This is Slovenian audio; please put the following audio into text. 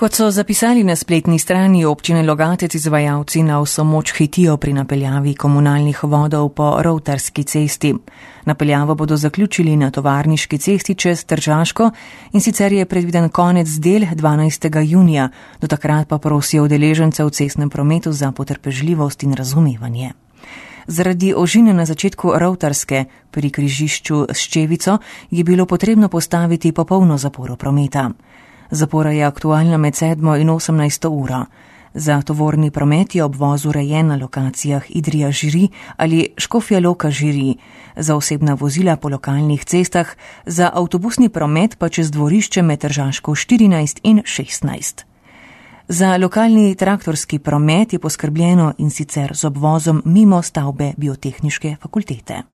Kot so zapisali na spletni strani občine Logatec, izvajalci na vso moč hitijo pri napeljavi komunalnih vodov po Rovtarski cesti. Napeljavo bodo zaključili na Tovarniški cesti čez Tržaško in sicer je predviden konec del 12. junija, do takrat pa prosijo udeležence v cestnem prometu za potrpežljivost in razumevanje. Zaradi ožine na začetku Rovtarske pri križišču s Ščevico je bilo potrebno postaviti popolno zaporo prometa. Zapora je aktualna med 7. in 18. uro. Za tovorni promet je obvoz urejen na lokacijah Idrija-Žiri ali Škofja-Loka-Žiri, za osebna vozila po lokalnih cestah, za avtobusni promet pa čez dvorišče med Tržaško 14 in 16. Za lokalni traktorski promet je poskrbljeno in sicer z obvozom mimo stavbe Biotehniške fakultete.